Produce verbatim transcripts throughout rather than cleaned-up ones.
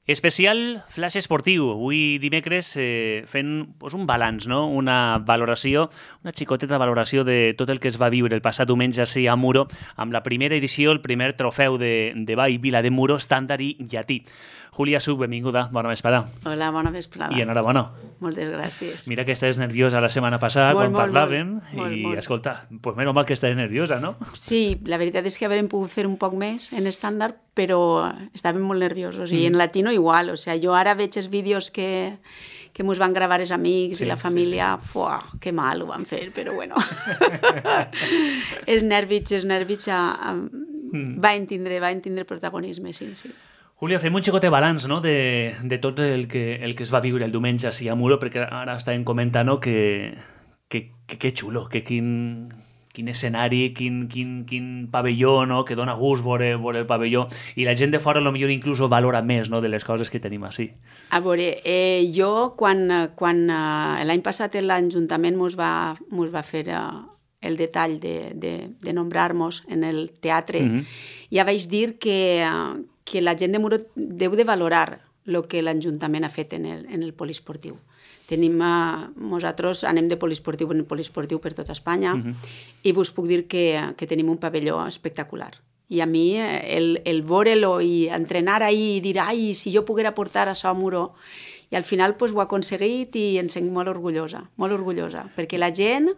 Especial flash esportiu. Avui dimecres eh, fent pues, un balanç, no? Una valoració, una xicoteta valoració de tot el que es va viure el passat diumenge així a Muro amb la primera edició, el primer trofeu de, de Ball Vila de Muro, estàndard i llatí. Júlia Suc, benvinguda, bona vesprada. Hola, bona vesprada. I enhorabona. Moltes gràcies. Mira que estàs nerviosa la setmana passada molt, quan molt, parlàvem molt, i, molt, molt. escolta, pues menys mal que estàs nerviosa, no? Sí, la veritat és que haurem pogut fer un poc més en estàndard, però estàvem molt nerviosos. I mm. en latino igual, o sea, jo ara veig els vídeos que, que mos van gravar els amics sí, i la família, sí, sí, sí. Fuà, que mal ho van fer, però bueno. els nervis, els nervis a, a, mm. van tindre, van tindre protagonisme, sí, sí. Júlia, fem un xicotet balanç, no?, de, de tot el que, el que es va viure el diumenge així a Muro, perquè ara estàvem comentant, no?, que, que, que, que xulo, que quin, quin escenari, quin, quin, quin pavelló, no?, que dona gust veure, veure el pavelló, i la gent de fora potser inclús valora més, no?, de les coses que tenim així. A veure, eh, jo quan, quan eh, l'any passat l'Ajuntament mos va, mos va fer eh, el detall de, de, de nombrar-nos en el teatre, mm-hmm. ja vaig dir que... Eh, que la gent de Muro deu de valorar el que l'Ajuntament ha fet en el, en el poliesportiu. Tenim, uh, nosaltres anem de poliesportiu en poliesportiu per tota Espanya uh-huh. i vos puc dir que, que tenim un pavelló espectacular. I a mi el, el veure-lo i entrenar ahí i dir, ai, si jo poguera portar això a Muro, i al final pues, ho he aconseguit i em sent molt orgullosa, molt orgullosa, perquè la gent...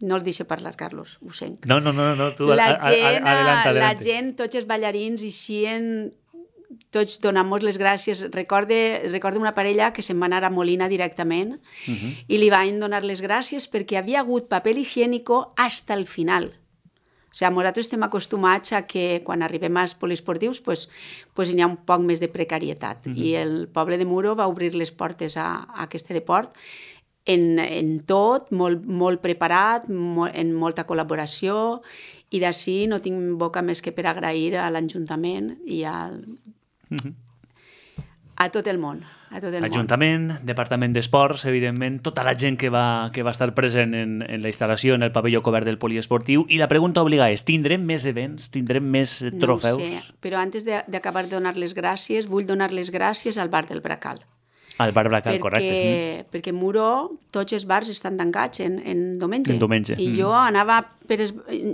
No el deixo parlar, Carlos, ho sent. No, no, no, no tu la gent, a, a, adelante, adelante. La gent, tots els ballarins, eixien, tots donant-nos les gràcies. Recorde, recorde una parella que se'n va anar a Molina directament uh-huh. i li van donar les gràcies perquè havia hagut paper higiénico hasta el final. O sigui, nosaltres estem acostumats a que quan arribem als poliesportius pues, pues hi ha un poc més de precarietat. Uh-huh. I el poble de Muro va obrir les portes a, a aquest deport En, en tot, molt, molt preparat, molt, en molta col·laboració, i d'ací no tinc boca més que per agrair a l'Ajuntament i al... mm-hmm. a tot el món. A tot el Ajuntament, món. Departament d'Esports, evidentment, tota la gent que va, que va estar present en, en la instal·lació, en el pavelló cobert del poliesportiu, i la pregunta obligada és, tindrem més events, tindrem més trofeus? No ho sé, però antes d'acabar de, de donar les gràcies, vull donar les gràcies al bar del Bracal. Al bar Bracal, perquè, correcte. Mm. Perquè Muro, tots els bars estan tancats en, en diumenge. En diumenge. I mm. jo anava per... Es...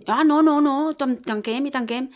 Ah, no, no, no, tanquem i tanquem.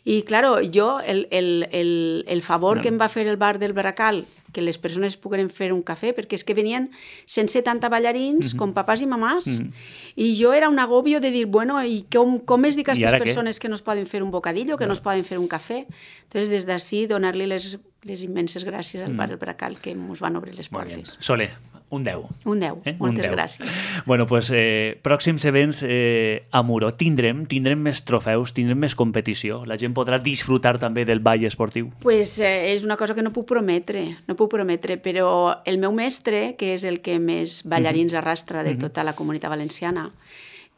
I, claro, jo, el, el, el, el favor no. que em va fer el bar del Bracal, que les persones pogueren fer un cafè, perquè és que venien cent setanta ballarins, mm-hmm. com papàs i mamàs, mm-hmm. i jo era un agobio de dir, bueno, i com, com es dic a aquestes persones què? Que no es poden fer un bocadillo, que no, no es poden fer un cafè? Entonces, des d'ací, donar-li les, les immenses gràcies al mm. bar del Bracal, que ens van obrir les portes. Sole, un deu. Un deu, eh? Moltes un deu. Gràcies. Bueno, pues, eh, pròxims events eh, a Muro. Tindrem, tindrem més trofeus, tindrem més competició. La gent podrà disfrutar també del ball esportiu. Pues eh, és una cosa que no puc prometre, no puc prometre, però el meu mestre, que és el que més ballarins mm-hmm. arrastra de tota la comunitat valenciana,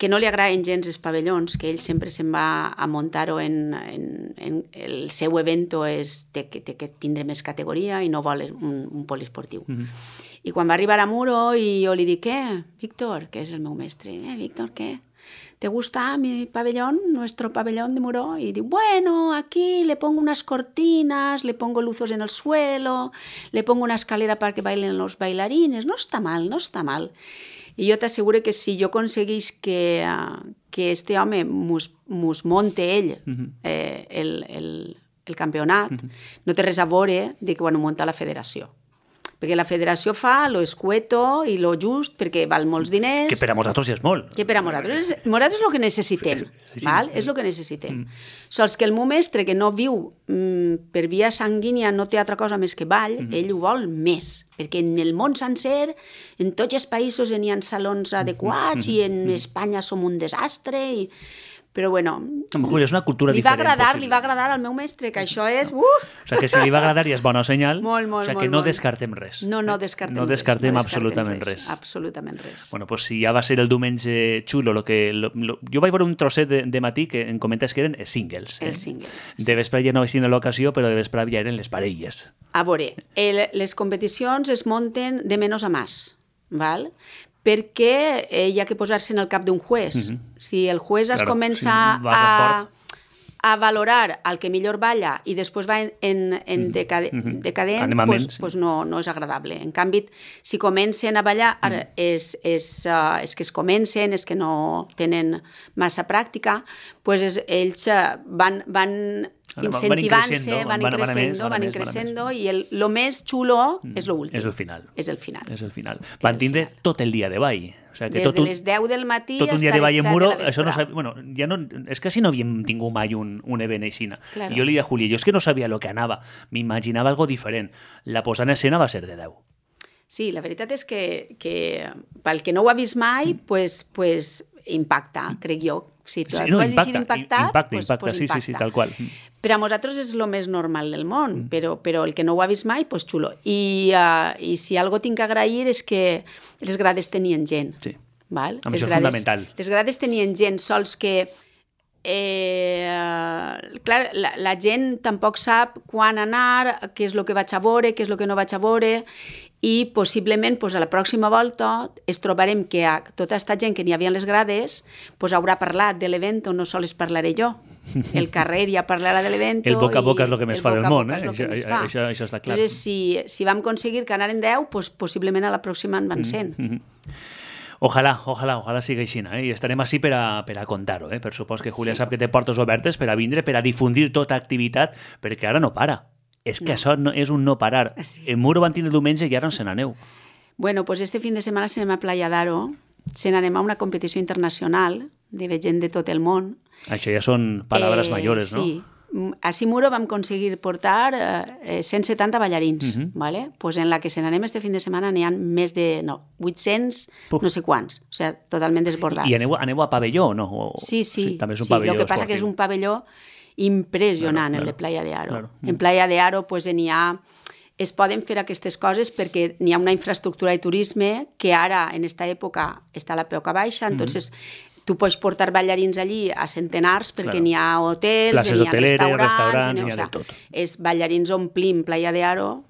que no li agraden gens els pavellons, que ell sempre se'n va a muntar-ho en, en, en el seu evento és té que, té que tindre més categoria i no vol un, un poliesportiu. Mm-hmm. I quan va arribar a Muro i jo li dic, què, Víctor, que és el meu mestre, eh, Víctor, què? ¿Te gusta mi pabellón, nuestro pabellón de Muro? Y digo, bueno, aquí le pongo unas cortinas, le pongo luzos en el suelo, le pongo una escalera para que bailen los bailarines. No está mal, no está mal. I jo t'asseguro que si jo aconseguís que, uh, que este home mos, mos monte ell uh-huh. eh, el, el, el campionat, uh-huh. no té res a veure de que ho munta la federació. Perquè la federació fa lo escueto i lo just perquè val molts diners. Que per a nosaltres ja és molt. Que per a nosaltres és, nosaltres és el que necessitem. Sí, sí. Val? És el que necessitem. Mm. Sols que el meu mestre, que no viu mm, per via sanguínia, no té altra cosa més que ball, mm. ell ho vol més. Perquè en el món sencer, en tots els països n'hi ha salons adequats mm. i en mm. Espanya som un desastre i... Però, bueno, Julio, és una cultura li va diferent. Agradar, possible. li va agradar al meu mestre, que això és... Uh! O sigui, que si li va agradar ja és bona senyal. Molt, molt, o sigui, molt, que no molt. descartem res. No, no descartem no descartem res. No absolutament descartem res. res. Absolutament res. Bueno, pues si ja va ser el diumenge xulo, lo que, lo, lo, jo vaig veure un trosset de, de matí que em comentes que eren singles. Eh? Els singles. De sí. Vespre ja no vaig tenir l'ocasió, però de vespre ja eren les parelles. A veure, el, les competicions es munten de menys a més, val? Perquè eh, hi ha que posar-se en el cap d'un juez. Mm-hmm. Si el juez claro, es comença sí, a, a valorar el que millor balla i després va en, en, en decade, Mm-hmm. decadent, Animament, pues, sí. pues no, no és agradable. En canvi, si comencen a ballar, ara és, és, uh, és que es comencen, és que no tenen massa pràctica, pues és, ells uh, van, van Van incentivant-se, increixendo, van van- van a més, increixendo, van a van més, increixendo, i el, lo més xulo és lo últim. És el final. És el final. És el final. Van el tindre final. tot el dia de ball. O sigui, que Des tot de un, les deu del matí tot un dia fins de a ball les en set muro, de la això no vesprada. sab... bueno, ja no, és que si no havíem tingut mai un, un event així. Claro. Jo li deia a Juli, jo és que no sabia el que anava, m'imaginava algo diferent. La posada en escena va ser de deu. Sí, la veritat és que, que pel que no ho ha vist mai, pues, pues impacta, crec jo. Si tu Sí, et no, vas impacta, llegir impactat, impacta, pues, impacta, pues sí, sí, sí, impacta. tal qual. Per a nosaltres és el més normal del món, Mm. però, però el que no ho ha vist mai, pues xulo. I, uh, i si algo tinc que agrair és que les grades tenien gent. Sí. Val? Amb Les això és grades, fundamental. Les grades tenien gent, sols que eh, clar, la, la gent tampoc sap quan anar, què és el que vaig a veure, què és el que no vaig a veure, i possiblement pues, a la pròxima volta es trobarem que a tota aquesta gent que n'hi havia a les grades pues, haurà parlat de l'event, no sols parlaré jo. El carrer ja parlarà de l'event. El boca a boca és el que més fa del món, eh? Això, Això, això, això està clar. Entonces, si, si vam aconseguir que anaren deu, pues, possiblement a la pròxima en van cent. Mm-hmm. Ojalà, ojalà, ojalà sigui així, eh? I estarem així per a, per a contar-ho, eh? Per supòs que Júlia Sí. sap que té portes obertes per a vindre, per a difundir tota activitat, perquè ara no para. És que No. això no, és un no parar. Sí. En Muro van tindre diumenge i ara on se n'aneu. Bueno, pues este fin de setmana se n'anem a Playa d'Aro, se n'anem a una competició internacional de gent de tot el món. Això ja són paraules Eh, mayores, no? Sí. A Simuro vam aconseguir portar eh, cent setanta ballarins, Mhm. ¿vale? Pues en la que se n'anem este fin de setmana n'hi ha més de no, vuit-cents, Puf. no sé quants, o sea, totalment desbordats. I aneu, aneu a pavelló, no? O, Sí, sí, també és un sí. pavelló Lo que passa que és esportiu. un pavelló impressionant, Claro, el de claro, Playa de Aro. claro. En Playa de Aro pues, n'hi ha es poden fer aquestes coses perquè n'hi ha una infraestructura de turisme que ara, en aquesta època, està a la peuca baixa, entonces tu pots portar ballarins allí a centenars perquè Claro. n'hi ha hotels, Places n'hi ha hoteleres, restaurants, restaurants, n'hi n'hi ha de o sea, tot. és ballarins omplim Playa de Aro,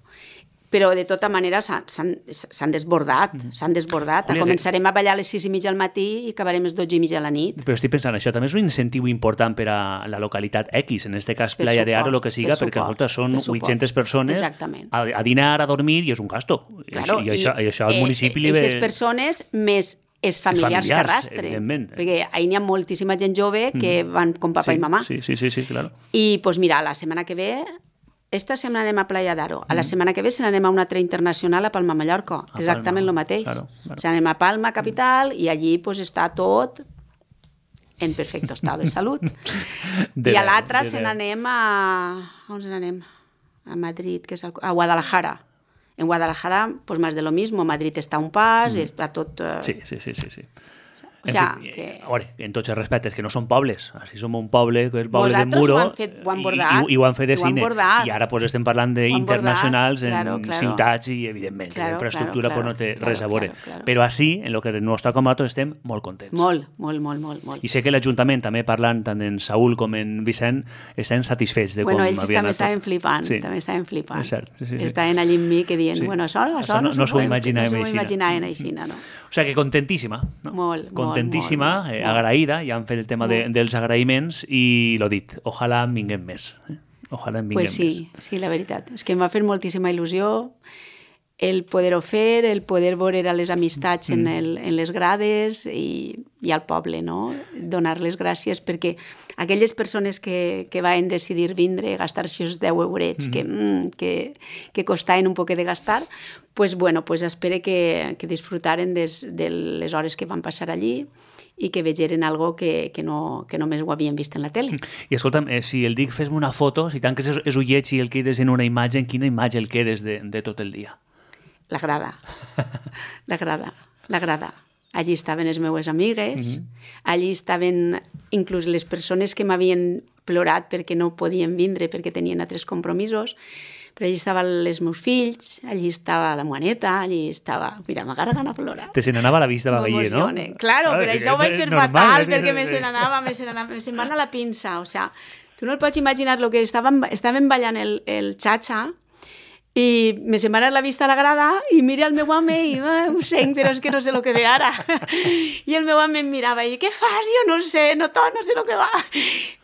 però de tota manera s'han- s'han s'han desbordat, s'han desbordat. Júlia, Començarem a ballar a les sis i mitja al matí i acabarem a les dotze i mitja a la nit. Però estic pensant, això també és un incentiu important per a la localitat X, en este cas Per Playa de Aro, supost, el que siga, per perquè suport, escolta, són per suport. vuit-centes persones Exactament. a, a dinar, a dormir, i és un gasto. Claro, I, això, i això al eh, municipi li eh, ve... Aquestes persones més els familiars, familiars, que arrastren. evidentment. Perquè ahir n'hi ha moltíssima gent jove que van com papa sí, i mamà. Sí, sí, sí, sí, claro. I, doncs mira, la setmana que ve, esta setmana anem a Playa d'Aro. A la setmana que ve se n'anem a un altre internacional a Palma, Mallorca. A Exactament Palma, el mateix. claro, claro. Se n'anem a Palma, capital, i allí pues, està tot en perfecte estat de salut. De I a deu, l'altra de se deu. n'anem a... On se n'anem? A Madrid, que és el... a Guadalajara. En Guadalajara, pues más de lo mismo. Madrid està a un pas, mm. està tot... eh, Sí, sí, sí, sí, sí. O sea, en fi, que... a veure, en tots els respectes, que no són pobles. Així som un poble, que és el poble de Vosaltres Muro, ho han fet- ho han i- bordat, i, i ho han fet de ho han cine. bordat. I ara pues, estem parlant Ho han d'internacionals bordat, en claro, claro. ciutats i, evidentment, Claro, la infraestructura claro, pues, no té claro, res a veure. claro, claro. Però així, en el que ens toca a nosaltres, estem molt contents. Molt, molt, molt, molt, molt. I sé que l'Ajuntament, també parlant tant en Saúl com en Vicent, estan satisfets de Bueno, com ells havia també anat tot. estaven flipant, Sí. també estaven flipant. És cert, sí, sí, sí. Estaven allí amb mi que dient, Sí. bueno, això, això, Això no- no s'ho podem- imaginàvem no s'ho aixina. imaginaven així, no? O sigui que contentíssima, no? Molt, molt, contentíssima, molt, eh, molt. agraïda, ja han fet el tema de, Molt. dels agraïments i lo dit, ojalà en vinguem més. Eh? Ojalà en vinguem Pues sí, més. sí, la veritat. És que em va fer moltíssima il·lusió el poder-ho fer, el poder veure a les amistats en, el, en les grades i, i al poble, no? Donar les gràcies perquè aquelles persones que, que van decidir vindre, gastar-se els deu eurets que, mm, que, que costaven un poquet de gastar, pues bueno, pues espero que, que disfrutaren des, de les hores que van passar allí i que vegeren algo que, que, no, que només ho havien vist en la tele. I escolta'm, eh, si el dic fes-me una foto, si tanques els, els ullets i el quedes en una imatge, en quina imatge el quedes de, de tot el dia? La grada, la grada, la grada. Allí estaven les meues amigues, allí estaven inclús les persones que m'havien plorat perquè no podien vindre, perquè tenien altres compromisos, però allí estaven els meus fills, allí estava la Moaneta, allí estava... Mira, m'agarra gana a plorar. Te se n'anava la vista de Bagallé, no? M'emocione. Claro, però això ho vaig fer normal, fatal, és- perquè me se n'anava, me se n'anava, me se'n va anar la pinça, o sea, tu no el pots imaginar, lo que estaven, estaven ballant el, el xa-xa, i me se'n va anar la vista a la grada i mira el meu home i ah, ho sent, però és que no sé el que ve ara. I el meu home em mirava i què fas? Jo no sé, no, to, no sé el que va.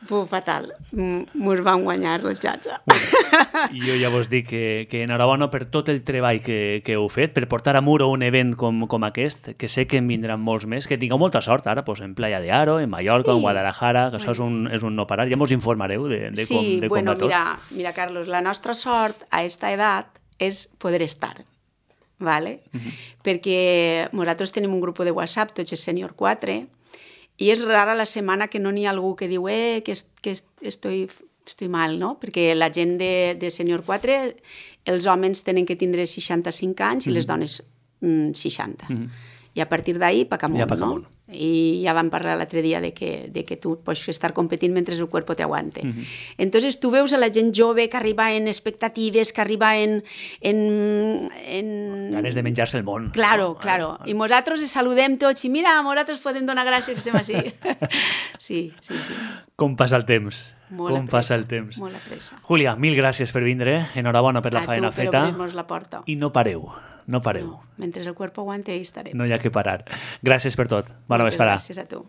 Fue fatal. Mos van guanyar el xatxa. Bueno, jo ja vos dic que, que enhorabona per tot el treball que, que heu fet, per portar a Muro un event com, com aquest, que sé que en vindran molts més, que tingueu molta sort ara, pues, en Playa de Aro, en Mallorca, sí. en Guadalajara, que bueno. això és un, és un no parar. Ja mos informareu de, de sí, com, de com bueno, va tot. Mira, mira, Carlos, la nostra sort a esta edat és poder estar, ¿vale? Uh-huh. Perquè nosaltres tenim un grup de WhatsApp, tots és Sènior quatre, i és rara la setmana que no n'hi ha algú que diu eh, que, est que est estoy, estoy mal, no? Perquè la gent de, de Sènior quatre, els homes tenen que tindre seixanta-cinc anys uh-huh. i les dones mm, seixanta. Uh-huh. I a partir d'ahí, pa camunt, ja no? I ja vam parlar l'altre dia de que, de que tu pots estar competint mentre el cuerpo te aguante. Uh-huh. Entonces tu veus a la gent jove que arriba en expectatives, que arriba en... en, en... ganes de menjar-se el món. Claro, no? claro. I nosaltres els saludem tots i mira, nosaltres podem donar gràcies que estem així. Sí, sí, sí. Com passa el temps. Molt Com passa el temps. Molt a pressa. Júlia, mil gràcies per vindre. Enhorabona per la a faena tu, per feta. obrir-nos la porta. I no pareu. No pareu. No, mentre el cuerpo aguante, ahí estarem. No hi ha que parar. Gràcies per tot. Bona vesprada. Gràcies a tu.